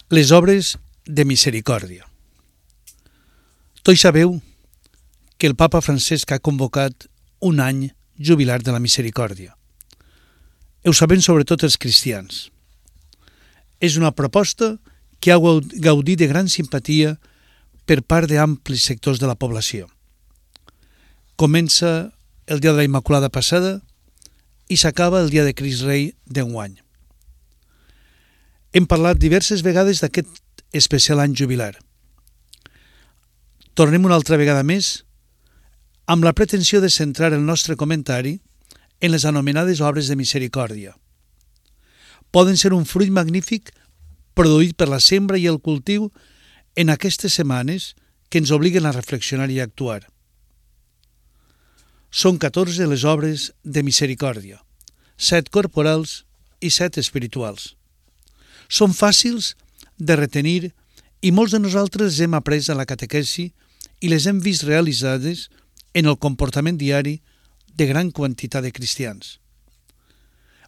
Les obres de misericòrdia. Tots sabeu que el papa Francesc ha convocat un any jubilar de la misericòrdia. Ho sabem sobretot els cristians. És una proposta que ha gaudit de gran simpatia per part d'amplis sectors de la població. Comença el dia de la Immaculada passada i s'acaba el dia de Crist Rei d'enguany. Hem parlat diverses vegades d'aquest especial any jubilar. Tornem una altra vegada més amb la pretensió de centrar el nostre comentari en les anomenades obres de misericòrdia. Poden ser un fruit magnífic produït per la sembra i el cultiu en aquestes setmanes que ens obliguen a reflexionar i a actuar. Són 14 les obres de misericòrdia, 7 corporals i 7 espirituals. Són fàcils de retenir i molts de nosaltres les hem après a la catequesi i les hem vist realitzades en el comportament diari de gran quantitat de cristians.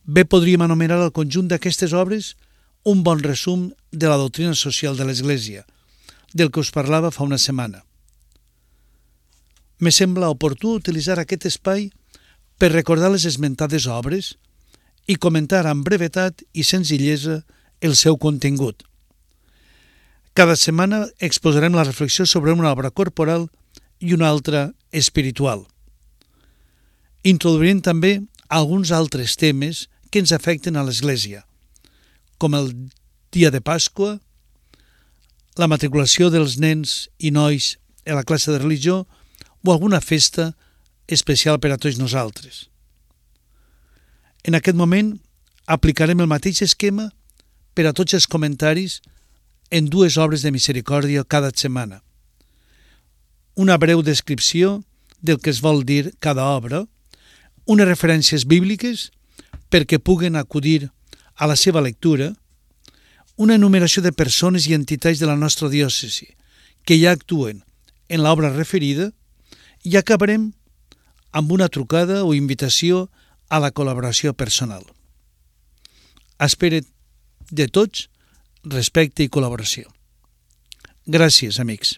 Bé podríem anomenar el conjunt d'aquestes obres un bon resum de la doctrina social de l'Església, del que us parlava fa una setmana. Me sembla oportú utilitzar aquest espai per recordar les esmentades obres i comentar amb brevetat i senzillesa el seu contingut. Cada setmana exposarem la reflexió sobre una obra corporal i una altra espiritual. Introduirem també alguns altres temes que ens afecten a l'Església, com el dia de Pasqua, la matriculació dels nens i nois a la classe de religió o alguna festa especial per a tots nosaltres. En aquest moment aplicarem el mateix esquema per a tots els comentaris en 2 obres de misericòrdia cada setmana. Una breu descripció del que es vol dir cada obra, unes referències bíbliques perquè puguen acudir a la seva lectura, una enumeració de persones i entitats de la nostra diòcesi que ja actuen en l'obra referida i acabarem amb una trucada o invitació a la col·laboració personal. Espero de tots respecte i col·laboració. Gràcies, amics.